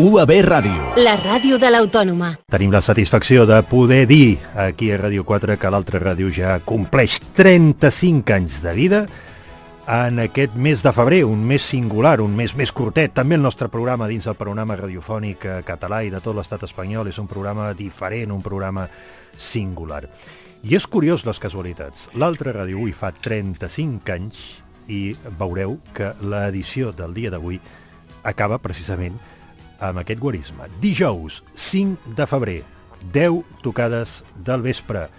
UAB Ràdio. La ràdio de l'Autònoma. Tenim la satisfacció de poder dir aquí a Ràdio 4 que l'altra ràdio ja compleix 35 anys de vida en aquest mes de febrer, un mes singular, un mes més curtet. També el nostre programa dins del panorama radiofònic català i de tot l'estat espanyol és un programa diferent, un programa singular. I és curiós les casualitats. L'altra ràdio avui fa 35 anys i veureu que l'edició del dia d'avui acaba precisament amb aquest guarisme. Dijous, 5 de febrer, 10 tocades del vespre.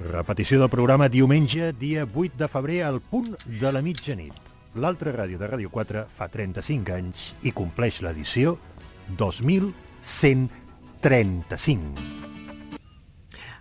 Repetició del programa diumenge, dia 8 de febrer, al punt de la mitjanit. L'altra ràdio de Ràdio 4 fa 35 anys i compleix l'edició 2135.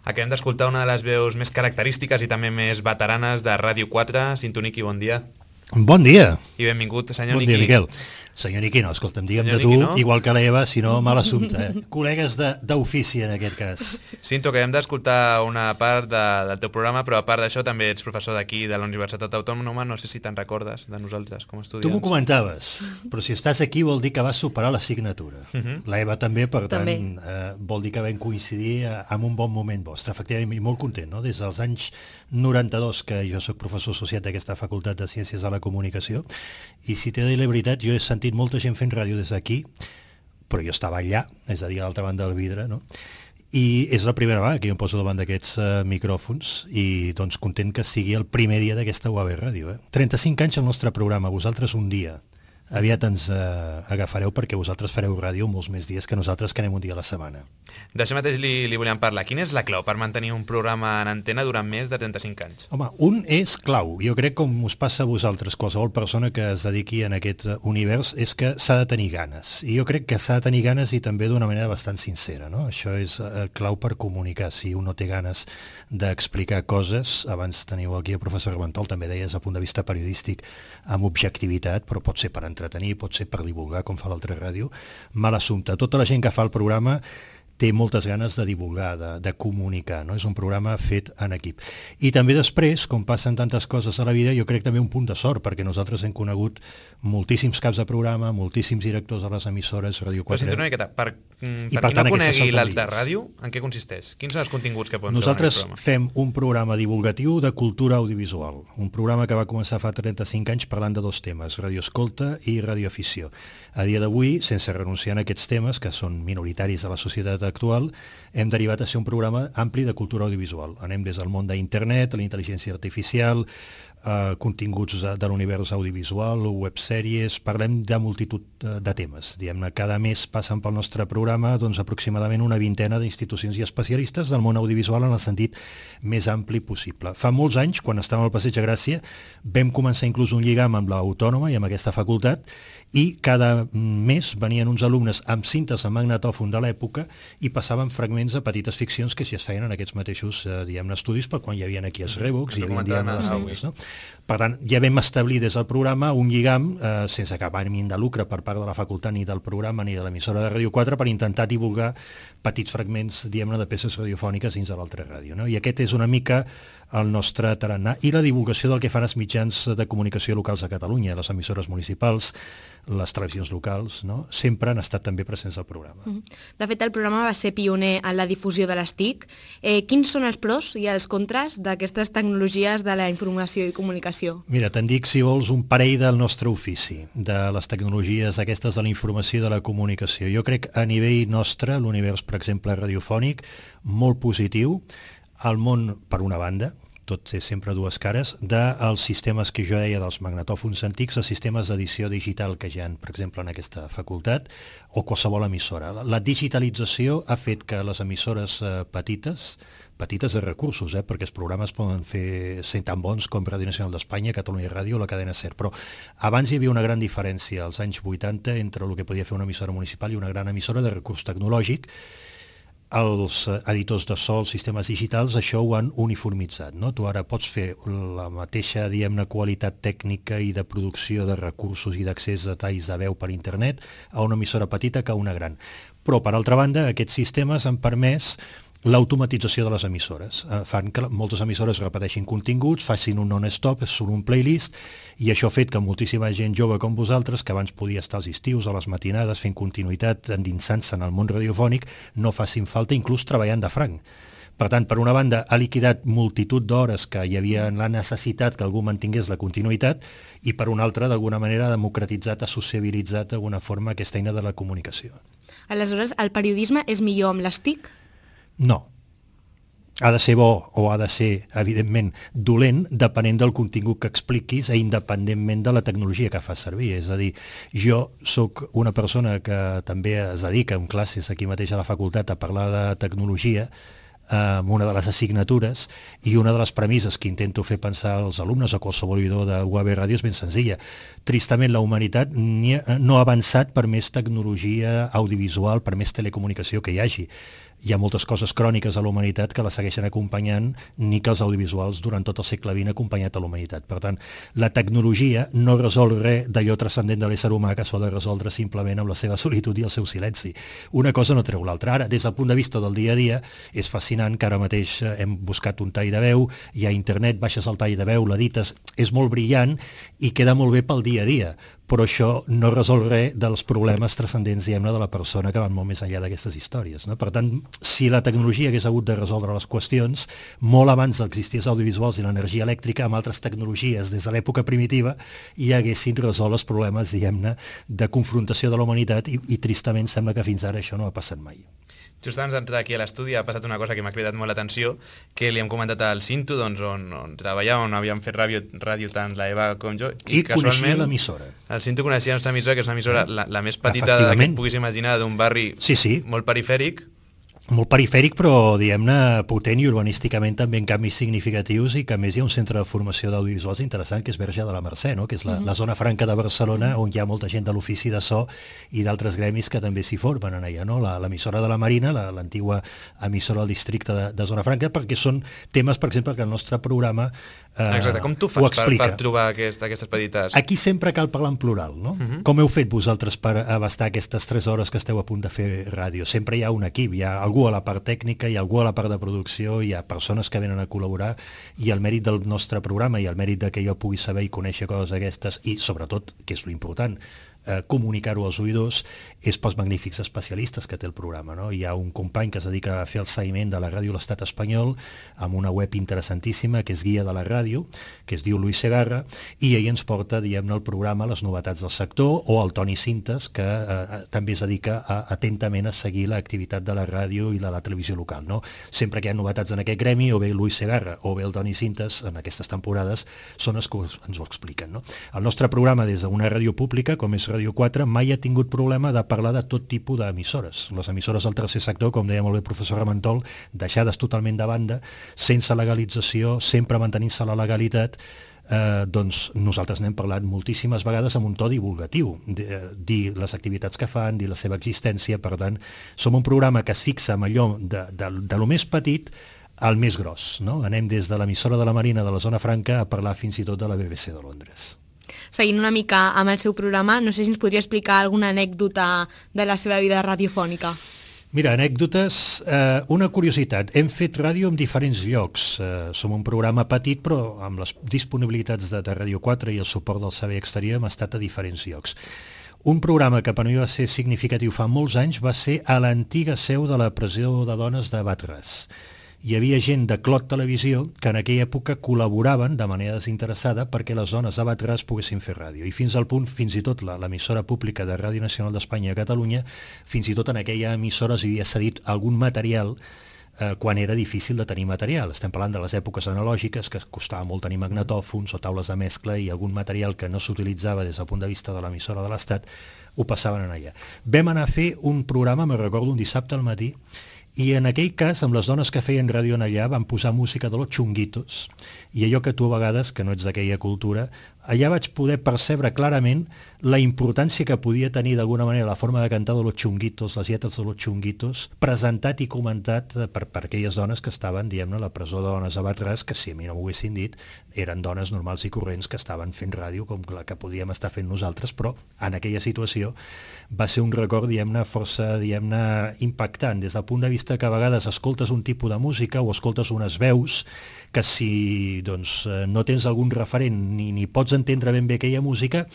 Acabem d'escoltar una de les veus més característiques i també més veteranes de Ràdio 4. Sintoniqui, bon dia. Bon dia. I benvingut, senyor Niqui. Bon dia, Miquel. Senyor Niqui, no, escolta'm, digue'm de tu, no? Igual que l'Eva, si no, mal assumpte. Col·legues d'ofici, en aquest cas. Cinto, que hem d'escoltar una part del teu programa, però a part d'això també ets professor d'aquí, de la Universitat Autònoma. No sé si te'n recordes de nosaltres com a estudiants. Tu m'ho comentaves, però si estàs aquí vol dir que vas superar l'assignatura. L'Eva també, per tant, vol dir que vam coincidir en un bon moment vostre. Efectivament, i molt content, no? Des dels anys 92, que jo soc professor associat d'aquesta Facultat de Ciències de la Comunicació, i si t'he de dir la veritat, jo he sentit molta gent fent ràdio des d'aquí, però jo estava allà, és a dir, a l'altra banda del vidre, no? I és la primera vegada que jo em poso davant d'aquests micròfons i doncs content que sigui el primer dia d'aquesta UAB Ràdio. 35 anys al nostre programa, vosaltres un dia. Aviat ens agafareu perquè vosaltres fareu ràdio molts més dies que nosaltres, que anem un dia a la setmana. D'això mateix li volíem parlar. Quina és la clau per mantenir un programa en antena durant més de 35 anys? Home, un és clau. Jo crec, com us passa a vosaltres, qualsevol persona que es dediqui en aquest univers, és que s'ha de tenir ganes. I jo crec que s'ha de tenir ganes i també d'una manera bastant sincera, no? Això és clau per comunicar. Si un no té ganes d'explicar coses, abans teniu aquí el professor Reventol, també deies, a punt de vista periodístic, amb objectivitat, però pot ser per entretenir, pot ser per divulgar, com fa l'altra ràdio, mal assumpte. Tota la gent que fa el programa té moltes ganes de divulgar, de comunicar, no? És un programa fet en equip. I també després, com passen tantes coses a la vida, jo crec també un punt de sort, perquè nosaltres hem conegut moltíssims caps de programa, moltíssims directors de les emissores, Ràdio 4. Però sento una miqueta, per qui no conegui l'altra ràdio, en què consisteix? Quins són els continguts que podem trobar en el programa? Nosaltres fem un programa divulgatiu de cultura audiovisual, un programa que va començar fa 35 anys parlant de dos temes, radioescolta i radioafició. A dia d'avui, sense renunciar a aquests temes, que són minoritaris a la societat actual, hem derivat a ser un programa ampli de cultura audiovisual. Anem des del món d'internet, la intel·ligència artificial, continguts de l'univers audiovisual, websèries, parlem de multitud de temes. Diguem-ne, cada mes passen pel nostre programa doncs, aproximadament una vintena d'institucions i especialistes del món audiovisual en el sentit més ampli possible. Fa molts anys, quan estàvem al Passeig de Gràcia, vam començar inclús un lligam amb l'Autònoma i amb aquesta facultat, i cada mes venien uns alumnes amb cintes en magnetòfon de l'època i passaven fragments de petites ficcions que si es feien en aquests mateixos estudis, per quan hi havia aquí els Revox i hi havia les aules, no? Per tant, ja vam establir des del programa un lligam sense cap ànim de lucre per part de la facultat, ni del programa, ni de l'emissora de Ràdio 4, per intentar divulgar petits fragments, diguem-ne, de peces radiofòniques dins de l'altra ràdio, no? I aquest és una mica el nostre tarannà. I la divulgació del que fan els mitjans de comunicació locals a Catalunya, les emissores municipals, les televisions locals, no? Sempre han estat també presents al programa. De fet, el programa va ser pioner en la difusió de les TIC. Quins són els pros i els contres d'aquestes tecnologies de la informació i comunicació? Mira, te'n dic, si vols, un parell del nostre ofici, de les tecnologies aquestes de la informació i de la comunicació. Jo crec a nivell nostre, l'univers, per exemple, radiofònic, molt positiu. El món, per una banda, tot té sempre dues cares, dels sistemes que jo deia dels magnetòfons antics, els sistemes d'edició digital que hi ha, per exemple, en aquesta facultat, o qualsevol emissora. La digitalització ha fet que les emissores petites de recursos, perquè els programes poden ser tan bons com Ràdio Nacional d'Espanya, Catalunya Ràdio o la cadena SER, però abans hi havia una gran diferència als anys 80 entre el que podia fer una emissora municipal i una gran emissora de recurs tecnològic. Els editors de so, els sistemes digitals, això ho han uniformitzat, no? Tu ara pots fer la mateixa, diguem-ne, qualitat tècnica i de producció de recursos i d'accés a talls de veu per internet a una emissora petita que a una gran. Però, per altra banda, aquests sistemes han permès l'automatització de les emissores. Fan que moltes emissores repeteixin continguts, facin un non-stop, són un playlist, i això ha fet que moltíssima gent jove com vosaltres, que abans podia estar als estius, a les matinades, fent continuïtat, endinsant-se en el món radiofònic, no facin falta, inclús treballant de franc. Per tant, per una banda, ha liquidat multitud d'hores que hi havia la necessitat que algú mantingués la continuïtat, i per una altra, d'alguna manera, ha democratitzat, ha sociabilitzat d'alguna forma aquesta eina de la comunicació. Aleshores, el periodisme és millor amb les TIC? No. Ha de ser bo o ha de ser, evidentment, dolent, depenent del contingut que expliquis i independentment de la tecnologia que fas servir. És a dir, jo sóc una persona que també es dedica en classes aquí mateix a la facultat a parlar de tecnologia, amb una de les assignatures, i una de les premisses que intento fer pensar als alumnes o qualsevol oïdor de UAB Ràdio és ben senzilla. Tristament, la humanitat no ha avançat per més tecnologia audiovisual, per més telecomunicació que hi hagi. Hi ha moltes coses cròniques a la humanitat que la segueixen acompanyant, ni que els audiovisuals durant tot el segle XX han acompanyat a la humanitat. Per tant, la tecnologia no resol res d'allò transcendent de l'ésser humà que s'ha de resoldre simplement amb la seva solitud i el seu silenci. Una cosa no treu l'altra. Ara, des del punt de vista del dia a dia, és fascinant que ara mateix hem buscat un tall de veu, hi ha internet, baixes el tall de veu, l'edites, és molt brillant i queda molt bé pel dia a dia, però això no resol res dels problemes transcendents, diguem-ne, de la persona, que van molt més enllà d'aquestes històries, no? Per tant, si la tecnologia hagués hagut de resoldre les qüestions, molt abans existís audiovisuals i l'energia elèctrica, amb altres tecnologies des de l'època primitiva, i haguessin resolt els problemes, diguem-ne, de confrontació de la humanitat, i tristament sembla que fins ara això no ha passat mai. Just abans d'entrar aquí a l'estudi ha passat una cosa que m'ha cridat molt l'atenció, que li hem comentat al Cinto, doncs, on treballava, on havíem fet ràdio tant la Eva com jo, i coneixia l'emissora. El Cinto coneixia la nostra emissora, que és una emissora la més petita que et puguis imaginar, d'un barri molt perifèric. Molt perifèric, però, diguem-ne, potent i urbanísticament també en canvis significatius, i que a més hi ha un centre de formació d'audiovisuals interessant, que és Verge de la Mercè, no? Que és la zona franca de Barcelona, on hi ha molta gent de l'ofici de so i d'altres gremis que també s'hi formen en allà, no? L'emissora de la Marina, l'antigua emissora del districte de Zona Franca, perquè són temes, per exemple, que el nostre programa exacte, com tu fas per trobar aquestes petites? Aquí sempre cal parlar en plural, no? Com heu fet vosaltres per abastar aquestes 3 hores que esteu a punt de fer ràdio? Sempre hi ha un equip, hi ha algú a la part tècnica, hi ha algú a la part de producció, hi ha persones que venen a col·laborar, i el mèrit del nostre programa i el mèrit de que jo pugui saber i conèixer coses d'aquestes, i sobretot, que és l'important, comunicar-ho als oïdors, és pels magnífics especialistes que té el programa, no? Hi ha un company que es dedica a fer el seguiment de la ràdio a l'Estat espanyol, amb una web interessantíssima, que és Guia de la Ràdio, que es diu Luis Segarra, i ell ens porta, diguem-ne, al programa les novetats del sector, o el Toni Cintes, que també es dedica atentament a seguir l'activitat de la ràdio i de la televisió local, no? Sempre que hi ha novetats en aquest gremi, o bé Luis Segarra o bé el Toni Cintes, en aquestes temporades, són els que ens ho expliquen, no? El nostre programa, des d'una ràdio pública, com és Ràdio 4, mai ha tingut problema de parlar de tot tipus d'emissores. Les emissores del tercer sector, com deia molt bé el professor Ramentol, deixades totalment de banda, sense legalització, sempre mantenint-se la legalitat, doncs nosaltres n'hem parlat moltíssimes vegades amb un to divulgatiu, dir les activitats que fan, dir la seva existència. Per tant, som un programa que es fixa en allò de lo més petit al més gros, no? Anem des de l'emissora de la Marina de la Zona Franca a parlar fins i tot de la BBC de Londres. Seguint una mica amb el seu programa, no sé si ens podria explicar alguna anècdota de la seva vida radiofònica. Mira, anècdotes, una curiositat. Hem fet ràdio en diferents llocs. Som un programa petit, però amb les disponibilitats de Ràdio 4 i el suport del servei exterior hem estat a diferents llocs. Un programa que per mi va ser significatiu fa molts anys va ser a l'antiga seu de la presó de dones de Batres. Hi havia gent de Clot Televisió que en aquella època col·laboraven de manera desinteressada perquè les dones de Batres poguessin fer ràdio. I fins al punt, fins i tot l'emissora pública de Ràdio Nacional d'Espanya a Catalunya, fins i tot en aquella emissora s'havia cedit algun material quan era difícil de tenir material. Estem parlant de les èpoques analògiques, que costava molt tenir magnetòfons o taules de mescla, i algun material que no s'utilitzava des del punt de vista de l'emissora de l'Estat ho passaven allà. Vam anar a fer un programa, me'n recordo, un dissabte al matí, i en aquell cas, amb les dones que feien ràdio en allà, van posar música de los Chunguitos, i allò que tu a vegades, que no ets d'aquella cultura, allà vaig poder percebre clarament la importància que podia tenir d'alguna manera la forma de cantar de los Chunguitos, les lletres de los Chunguitos, presentat i comentat per aquelles dones que estaven, diguem-ne, a la presó de dones a Batràs, que si a mi no m'ho haguessin dit, eren dones normals i corrents que estaven fent ràdio com la que podíem estar fent nosaltres, però en aquella situació va ser un record, diguem-ne, força, diguem-ne, impactant, des del punt de vista que a vegades escoltes un tipus de música o escoltes unes veus que si doncs, no tens algun referent ni pots entendre ben bé aquella música,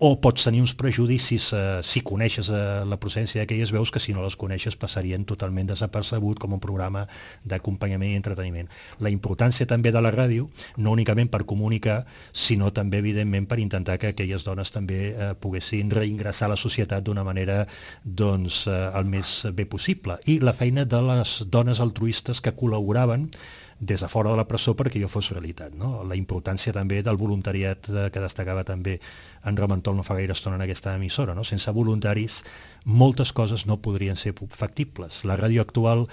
o pots tenir uns prejudicis si coneixes la procedència d'aquelles veus que si no les coneixes passarien totalment desapercebut com un programa d'acompanyament i entreteniment. La importància també de la ràdio, no únicament per comunicar, sinó també, evidentment, per intentar que aquelles dones també poguessin reingressar a la societat d'una manera doncs, el més bé possible. I la feina de les dones altruistes que col·laboraven des de fora de la presó perquè jo fos realitat, no? La importància també del voluntariat que destacava també en Ramentol no fa gaire estona en aquesta emissora, no? Sense voluntaris moltes coses no podrien ser factibles. La ràdio actual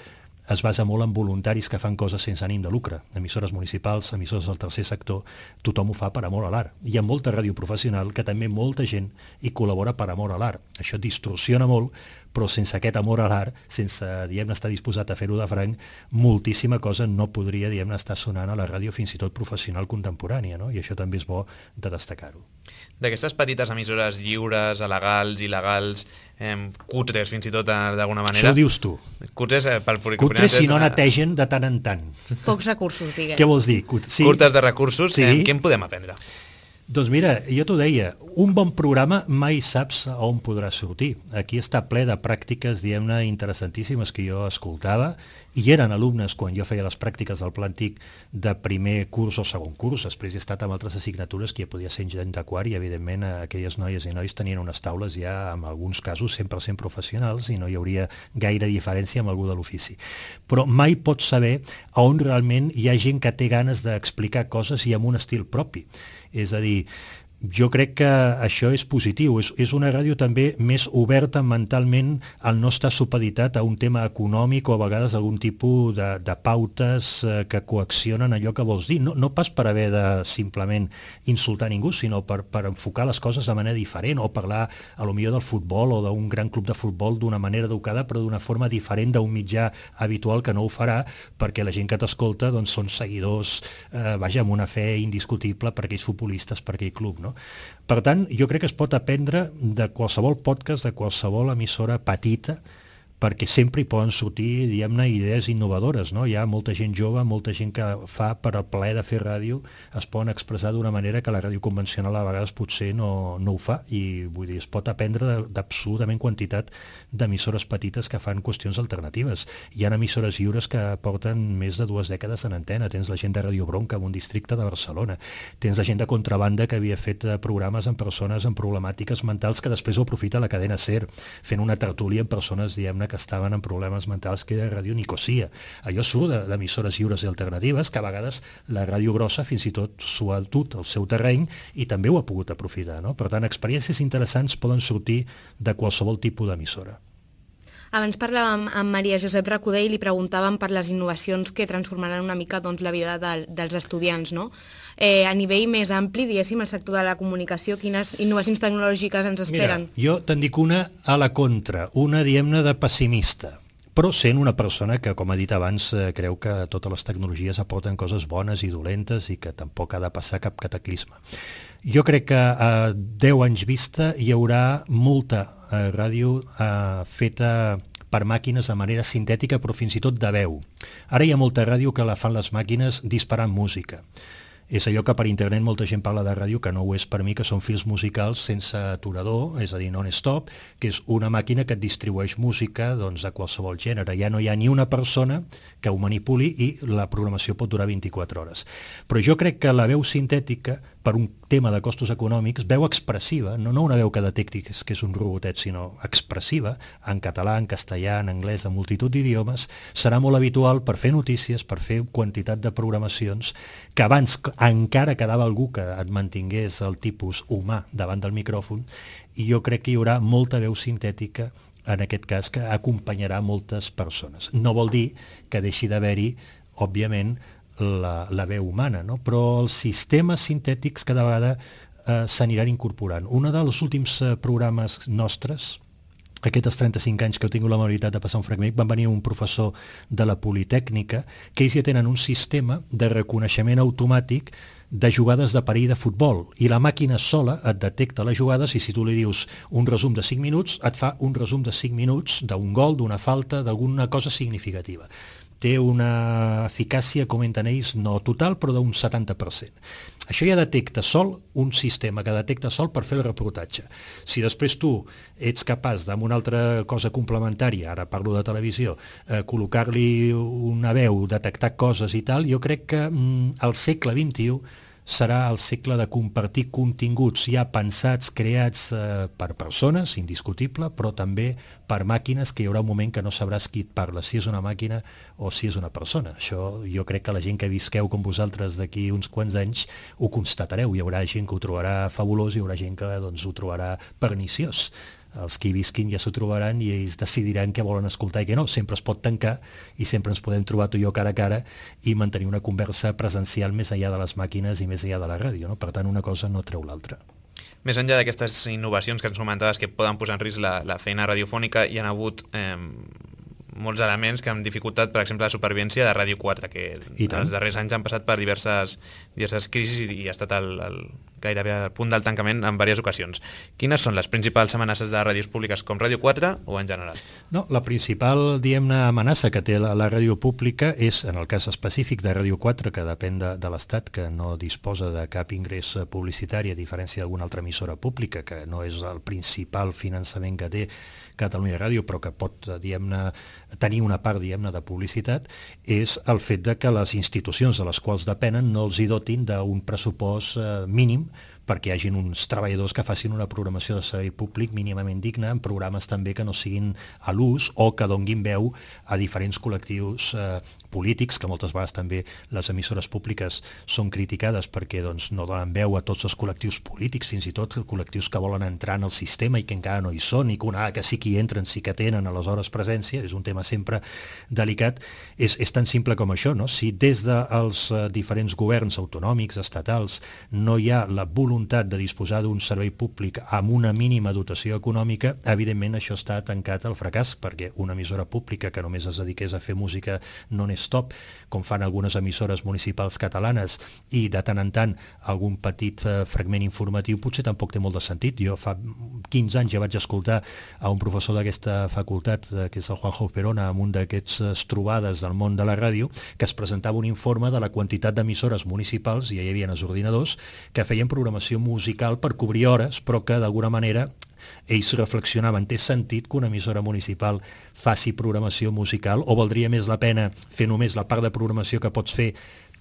es basa molt en voluntaris que fan coses sense ànim de lucre. Emissores municipals, emissores del tercer sector, tothom ho fa per amor a l'art. Hi ha molta ràdio professional que també molta gent hi col·labora per amor a l'art. Això distorsiona molt, però sense aquest amor a l'art, sense, diguem-ne, estar disposat a fer-ho de franc, moltíssima cosa no podria, diguem-ne, estar sonant a la ràdio fins i tot professional contemporània, no? I això també és bo de destacar-ho. D'aquestes petites emissores lliures, alegals, il·legals, cutres fins i tot d'alguna manera... Això ho dius tu. Cutres pel Cutres si no netegen de tant en tant. Pocs recursos, diguem. Què vols dir? Sí. Curtes de recursos, sí. Què en podem aprendre? Doncs mira, jo t'ho deia, un bon programa mai saps a on podrà sortir. Aquí està ple de pràctiques, diguem-ne, interessantíssimes que jo escoltava, i eren alumnes quan jo feia les pràctiques del Pla Antic de primer curs o segon curs. Després he estat amb altres assignatures que ja podia ser gent de quart i, evidentment, aquelles noies i nois tenien unes taules ja, en alguns casos, 100% professionals i no hi hauria gaire diferència amb algú de l'ofici. Però mai pots saber a on realment hi ha gent que té ganes d'explicar coses i amb un estil propi. És a dir, jo crec que això és positiu, és una ràdio també més oberta mentalment al no estar supeditat a un tema econòmic o a vegades algun tipus de pautes que coaccionen allò que vols dir, no pas per haver de simplement insultar ningú, sinó per enfocar les coses de manera diferent o parlar a lo millor del futbol o d'un gran club de futbol d'una manera educada però d'una forma diferent d'un mitjà habitual que no ho farà perquè la gent que t'escolta doncs, són seguidors, amb una fe indiscutible per aquells futbolistes, per aquell club, no? Per tant, jo crec que es pot aprendre de qualsevol podcast, de qualsevol emissora petita, perquè sempre hi poden sortir, diguem-ne, idees innovadores, no? Hi ha molta gent jove, molta gent que fa per al plaer de fer ràdio, es poden expressar d'una manera que la ràdio convencional a vegades potser no ho fa, i vull dir, es pot aprendre d'absolutament quantitat d'emissores petites que fan qüestions alternatives. Hi ha emissores lliures que porten més de 2 dècades en antena, tens la gent de Radio Bronca en un districte de Barcelona, tens la gent de Contrabanda que havia fet programes amb persones amb problemàtiques mentals que després ho aprofita la cadena SER, fent una tertúlia amb persones, diguem-ne, que estaven amb problemes mentals, que era Ràdio Nicosia. Allò surt d'emissores lliures i alternatives, que a vegades la ràdio grossa fins i tot s'ho ha dut al seu terreny i també ho ha pogut aprofitar, no? Per tant, experiències interessants poden sortir de qualsevol tipus d'emissora. Abans parlàvem amb Maria Josep Recoder i li preguntàvem per les innovacions que transformaran una mica doncs, la vida dels estudiants, no? A nivell més ampli, diguéssim, el sector de la comunicació, quines innovacions tecnològiques ens esperen? Mira, jo te'n dic una a la contra, una, diguem-ne, de pessimista, però sent una persona que, com ha dit abans, creu que totes les tecnologies aporten coses bones i dolentes i que tampoc ha de passar cap cataclisme. Jo crec que a 10 anys vista hi haurà molta ràdio feta per màquines de manera sintètica, però fins i tot de veu. Ara hi ha molta ràdio que la fan les màquines disparant música. És allò que per internet molta gent parla de ràdio, que no ho és per mi, que són fils musicals sense aturador, és a dir, non-stop, que és una màquina que et distribueix música doncs, de qualsevol gènere. Ja no hi ha ni una persona que ho manipuli i la programació pot durar 24 hores. Però jo crec que la veu sintètica, per un tema de costos econòmics, veu expressiva, no una veu que detecti que és un robotet, sinó expressiva, en català, en castellà, en anglès, en multitud d'idiomes, serà molt habitual per fer notícies, per fer quantitat de programacions, que abans encara quedava algú que et mantingués el tipus humà davant del micròfon, i jo crec que hi haurà molta veu sintètica en aquest cas que acompanyarà moltes persones. No vol dir que deixi d'haver-hi, òbviament, la veu humana, no? Però els sistemes sintètics cada vegada s'aniran incorporant. Un dels últims programes nostres, aquests 35 anys que heu tingut l'amabilitat de passar un fragment, van venir un professor de la Politècnica, que ells ja tenen un sistema de reconeixement automàtic de jugades de perill de futbol, i la màquina sola et detecta les jugades, i si tu li dius un resum de 5 minuts, et fa un resum de 5 minuts d'un gol, d'una falta, d'alguna cosa significativa. Té una eficàcia, comenten ells, no total, però d'un 70%. Això ja detecta sol, un sistema que detecta sol per fer el reportatge. Si després tu ets capaç d'amb una altra cosa complementària, ara parlo de televisió, col·locar-li una veu, detectar coses i tal, jo crec que al segle XXI serà el segle de compartir continguts ja pensats, creats per persones, indiscutible, però també per màquines, que hi haurà un moment que no sabràs qui et parla, si és una màquina o si és una persona. Això jo crec que la gent que visqueu com vosaltres d'aquí uns quants anys ho constatareu. Hi haurà gent que ho trobarà fabulós, hi haurà gent que ho trobarà perniciós. Els que hi visquin ja s'ho trobaran i ells decidiran què volen escoltar i què no. Sempre es pot tancar i sempre ens podem trobar tu i jo cara a cara i mantenir una conversa presencial més enllà de les màquines i més enllà de la ràdio, no? Per tant, una cosa no treu l'altra. Més enllà d'aquestes innovacions que ens comentaves que poden posar en risc la feina radiofònica, hi ha hagut molts elements que han dificultat, per exemple, la supervivència de Ràdio 4, que els darrers anys han passat per diverses crisis i ha estat gairebé al punt del tancament en diverses ocasions. Quines són les principals amenaces de ràdios públiques com Ràdio 4 o en general? No, la principal, diguem-ne, amenaça que té la ràdio pública és, en el cas específic de Ràdio 4, que depèn de l'Estat, que no disposa de cap ingrés publicitari, a diferència d'alguna altra emissora pública, que no és el principal finançament que té Catalunya Ràdio, però que pot, diguem-ne, tenir una part, diguem-ne, de publicitat, és el fet de que les institucions de les quals depenen no els hi dotin d'un pressupost mínim perquè hi hagin uns treballadors que facin una programació de servei públic mínimament digna, en programes també que no siguin a l'ús o que donguin veu a diferents col·lectius polítics, que moltes vegades també les emissores públiques són criticades perquè no donen veu a tots els col·lectius polítics, fins i tot col·lectius que volen entrar en el sistema i que encara no hi són, i que sí que hi entren, sí que tenen aleshores presència. És un tema sempre delicat. És tan simple com això, no? Si des dels diferents governs autonòmics, estatals, no hi ha la voluntat de disposar d'un servei públic amb una mínima dotació econòmica, evidentment això està tancat al fracàs, perquè una emissora pública que només es dediqués a fer música non-stop, com fan algunes emissores municipals catalanes, i de tant en tant algun petit fragment informatiu, potser tampoc té molt de sentit. Jo fa 15 anys ja vaig escoltar a un professor d'aquesta facultat, que és el Juanjo Perona, en un d'aquests trobades del món de la ràdio, que es presentava un informe de la quantitat d'emissores municipals, i ja hi havia els ordinadors, que feien programació musical per cobrir hores, però que d'alguna manera ells reflexionaven, té sentit que una emissora municipal faci programació musical, o valdria més la pena fer només la part de programació que pots fer,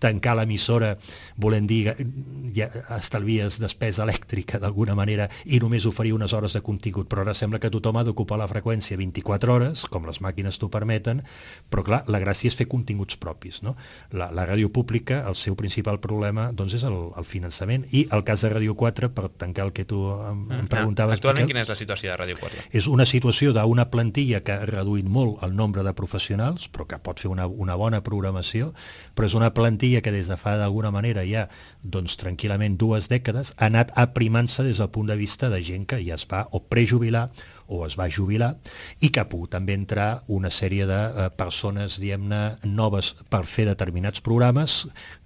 tancar l'emissora, volem dir, ja estalvies despesa elèctrica d'alguna manera i només oferir unes hores de contingut, però ara sembla que tothom ha d'ocupar la freqüència 24 hores, com les màquines t'ho permeten, però clar, la gràcia és fer continguts propis, no? La ràdio pública, el seu principal problema doncs és el finançament, i el cas de Ràdio 4, per tancar el que tu em preguntaves... Actualment, quina és la situació de Ràdio 4? És una situació d'una plantilla que ha reduït molt el nombre de professionals, però que pot fer una bona programació, però és una plantilla que des de fa d'alguna manera ja tranquil·lament 2 dècades ha anat aprimant-se des del punt de vista de gent que ja es va o prejubilar o es va jubilar, i que ha pogut també entrar una sèrie de persones, diguem-ne, noves per fer determinats programes,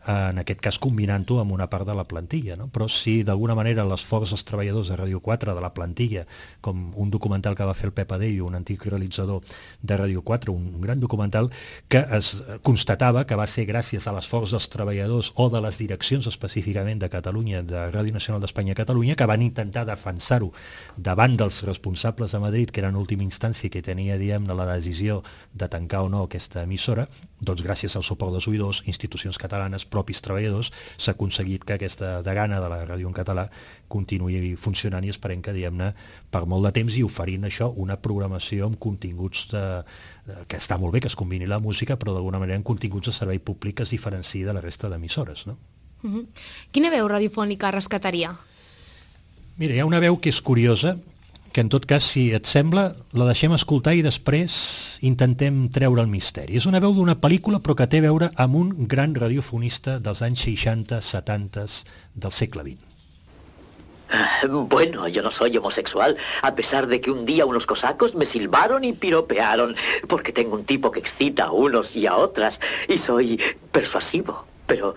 en aquest cas combinant-ho amb una part de la plantilla, no? Però si d'alguna manera l'esforç dels treballadors de Ràdio 4, de la plantilla, com un documental que va fer el Pep Adello, un antic realitzador de Ràdio 4, un gran documental, que es constatava que va ser gràcies a l'esforç dels treballadors o de les direccions específicament de Catalunya, de Ràdio Nacional d'Espanya a Catalunya, que van intentar defensar-ho davant dels responsables de Madrid, que era en última instància que tenia, diguem-ne, la decisió de tancar o no aquesta emissora. Doncs gràcies al suport dels oïdors, institucions catalanes, propis treballadors, s'ha aconseguit que aquesta degana de la ràdio en català continuï funcionant, i esperem que, diguem-ne, per molt de temps, i oferint això, una programació amb continguts que està molt bé que es combini la música, però d'alguna manera amb continguts de servei públic que es diferenciï de la resta d'emissores, no? Quina veu radiofònica rescataria? Mira, hi ha una veu que és curiosa, que en tot cas, si et sembla, la deixem escoltar i després intentem treure el misteri. És una veu d'una pel·lícula, però que té a veure amb un gran radiofonista dels anys 60-70 del segle XX. Bueno, yo no soy homosexual, a pesar de que un día unos cosacos me silbaron y piropearon, porque tengo un tipo que excita a unos y a otras, y soy persuasivo. Pero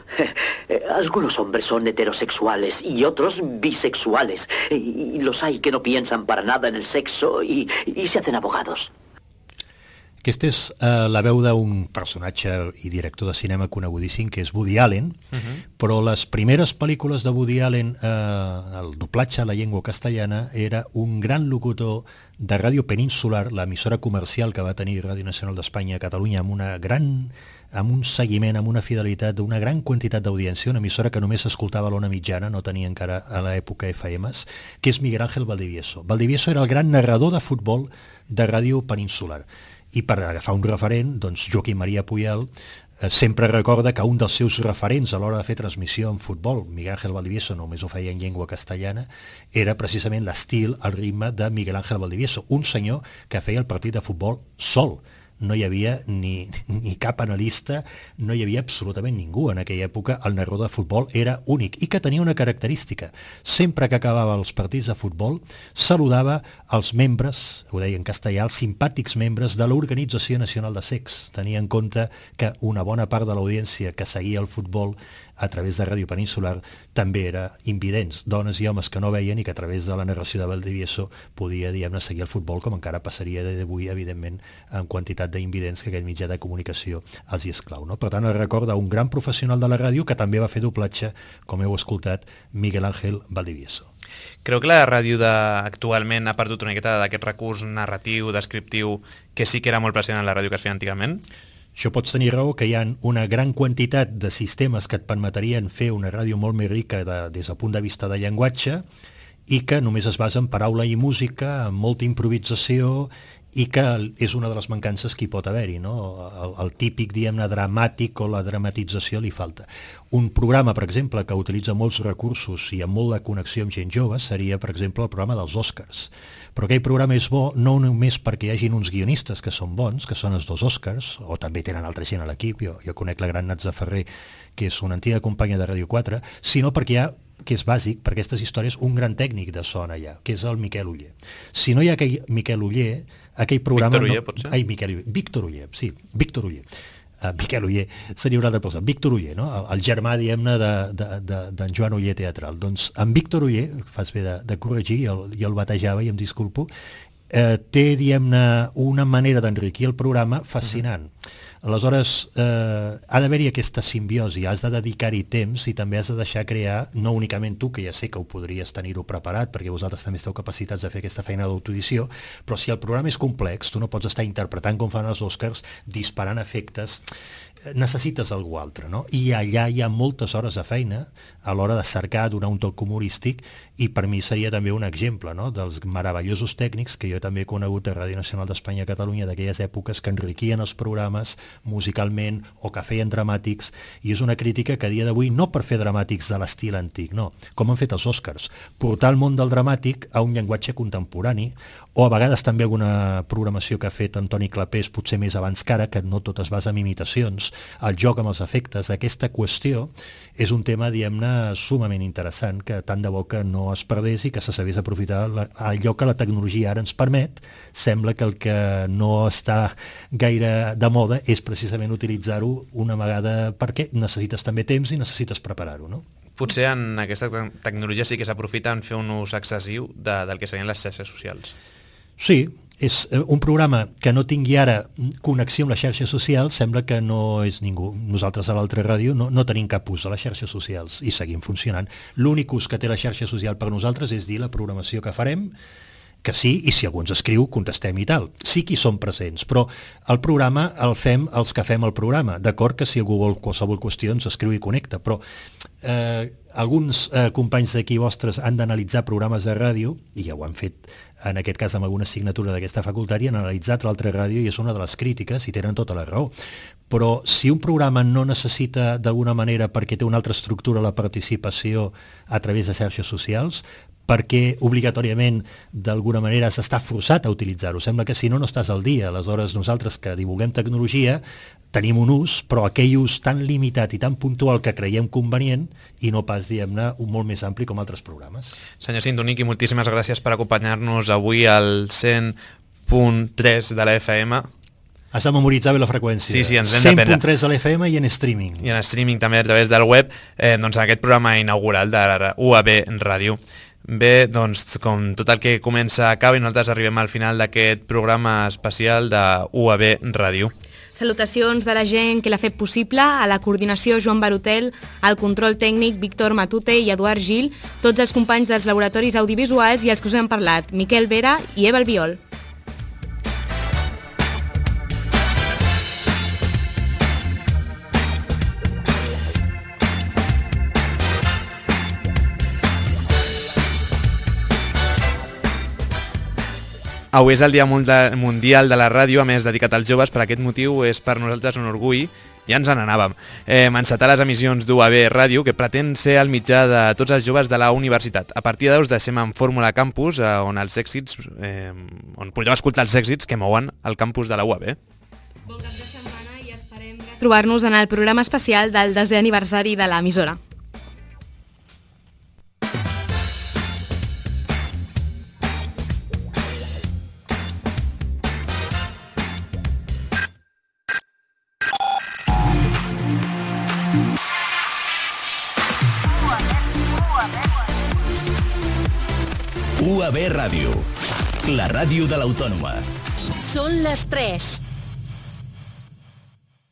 algunos hombres son heterosexuales y otros bisexuales, y los hay que no piensan para nada en el sexo y se hacen abogados. Aquesta és la veu d'un personatge i director de cinema conegudíssim, que és Woody Allen, però les primeres pel·lícules de Woody Allen, el doblatge a la llengua castellana, era un gran locutor de Ràdio Peninsular, l'emissora comercial que va tenir Ràdio Nacional d'Espanya a Catalunya, amb un seguiment, amb una fidelitat d'una gran quantitat d'audiència, una emissora que només s'escoltava a l'ona mitjana, no tenia encara a l'època FMs, que és Miguel Ángel Valdivieso. Valdivieso era el gran narrador de futbol de Ràdio Peninsular. I per agafar un referent, doncs Joaquim Maria Puyal sempre recorda que un dels seus referents a l'hora de fer transmissió en futbol, Miguel Ángel Valdivieso només ho feia en llengua castellana, era precisament l'estil, el ritme de Miguel Ángel Valdivieso, un senyor que feia el partit de futbol sol. No hi havia ni cap analista, no hi havia absolutament ningú en aquella època. El narrador de futbol era únic i que tenia una característica. Sempre que acabava els partits de futbol, saludava els membres, ho deia en castellà, els simpàtics membres de l'Organització Nacional de Sex. Tenia en compte que una bona part de l'audiència que seguia el futbol a través de Ràdio Peninsular també era invidents, dones i homes que no veien i que a través de la narració de Valdivieso podia, diguem-ne, seguir el futbol, com encara passaria d'avui, evidentment, en quantitat d'invidents que aquest mitjà de comunicació els hi esclau, no? Per tant, el recorda un gran professional de la ràdio que també va fer doblatge, com heu escoltat, Miguel Ángel Valdivieso. Creu que la ràdio actualment ha perdut una miqueta d'aquest recurs narratiu, descriptiu, que sí que era molt present en la ràdio que es feia antigament? Això pots tenir raó, que hi ha una gran quantitat de sistemes que et permetrien fer una ràdio molt més rica des del punt de vista de llenguatge i que només es basa en paraula i música, amb molta improvisació, i que és una de les mancances que hi pot haver-hi, no? El típic, diguem-ne, dramàtic o la dramatització li falta. Un programa, per exemple, que utilitza molts recursos i amb molt de connexió amb gent jove seria, per exemple, el programa dels Oscars. Però aquell programa és bo no només perquè hi hagin uns guionistes que són bons, que són els 2 Oscars, o també tenen altra gent a l'equip, jo conec la gran Natza Ferrer, que és una antiga companya de Ràdio 4, sinó perquè hi ha, que és bàsic per aquestes històries, un gran tècnic de son allà, que és el Miquel Oller. Si no hi ha aquell Miquel Oller, aquell programa... Víctor Oller, potser? Ai, Víctor Oller, sí, Víctor Oller. Miquel Oller seria una altra cosa. Víctor Oller, no? El germà, diguem-ne, d'en Joan Oller teatral. Doncs en Víctor Oller, fas bé de corregir, jo el batejava i em disculpo, té, diguem-ne, una manera d'enriquir el programa fascinant. Aleshores, ha d'haver-hi aquesta simbiosi, has de dedicar-hi temps i també has de deixar crear, no únicament tu, que ja sé que ho podries tenir-ho preparat, perquè vosaltres també esteu capacitats de fer aquesta feina d'autoedició, però si el programa és complex, tu no pots estar interpretant com fan els Oscars, disparant efectes, necessites algú altre, no? I allà hi ha moltes hores de feina a l'hora de cercar, donar un toc humorístic, i per mi seria també un exemple, no?, dels meravellosos tècnics que jo també he conegut a Ràdio Nacional d'Espanya a Catalunya d'aquelles èpoques que enriquien els programes musicalment o que feien dramàtics, i és una crítica que a dia d'avui no per fer dramàtics de l'estil antic, no, com han fet els Oscars, portar el món del dramàtic a un llenguatge contemporani, o a vegades també alguna programació que ha fet Antoni Clapés, potser més abans que ara, que no tot es basa en imitacions, el joc amb els efectes, aquesta qüestió és un tema, diguem-ne, sumament interessant, que tant de bo que no es perdés i que se sabés aprofitar allò que la tecnologia ara ens permet. Sembla que el que no està gaire de moda és precisament utilitzar-ho una vegada, perquè necessites també temps i necessites preparar-ho, no? Potser en aquesta tecnologia sí que s'aprofita en fer un ús excessiu del que serien les xarxes socials. Sí, és un programa que no tingui ara connexió amb les xarxes socials, sembla que no és ningú. Nosaltres a l'altra ràdio no tenim cap ús de les xarxes socials i seguim funcionant. L'únic ús que té la xarxa social per nosaltres és dir la programació que farem, que sí, i si algú ens escriu, contestem i tal. Sí que hi som presents, però el programa el fem els que fem el programa. D'acord que si algú vol qualsevol qüestió ens escriu i connecta, però alguns companys d'aquí vostres han d'analitzar programes de ràdio, i ja ho han fet en aquest cas amb alguna assignatura d'aquesta facultat, i han analitzat l'altra ràdio i és una de les crítiques i tenen tota la raó. Però si un programa no necessita d'alguna manera, perquè té una altra estructura, la participació a través de xarxes socials, perquè obligatòriament d'alguna manera s'està forçat a utilitzar-ho. Sembla que si no estàs al dia. Aleshores nosaltres que divulguem tecnologia tenim un ús, però aquell ús tan limitat i tan puntual que creiem convenient i no pas, diguem-ne, un molt més ampli com altres programes. Senyor Sintonic, i moltíssimes gràcies per acompanyar-nos avui al 100.3 de la FM. Has de memoritzar bé la freqüència. Sí, ens hem de 100.3 a l'FM i en streaming. I en streaming també a través del web, doncs en aquest programa inaugural de la UAB Ràdio. Bé, doncs com tot el que comença acaba i nosaltres arribem al final d'aquest programa especial de UAB Ràdio. Salutacions de la gent que l'ha fet possible, a la coordinació Joan Barotel, al control tècnic Víctor Matute i Eduard Gil, tots els companys dels laboratoris audiovisuals i els que us hem parlat, Miquel Vera i Eva Albiol. Avui és el Dia Mundial de la Ràdio, a més dedicat als joves. Per aquest motiu és per nosaltres un orgull, ja ens n'anàvem, encetar les emissions d'UAB Ràdio, que pretén ser el mitjà de tots els joves de la universitat. A partir d'ara us deixem en Fórmula Campus, on podreu escoltar els èxits que mouen el campus de la UAB. Bon cap de setmana i esperem trobar-nos en el programa especial del 10è aniversari de l'emissora. UAB Ràdio, la ràdio de l'Autònoma. Són les 3.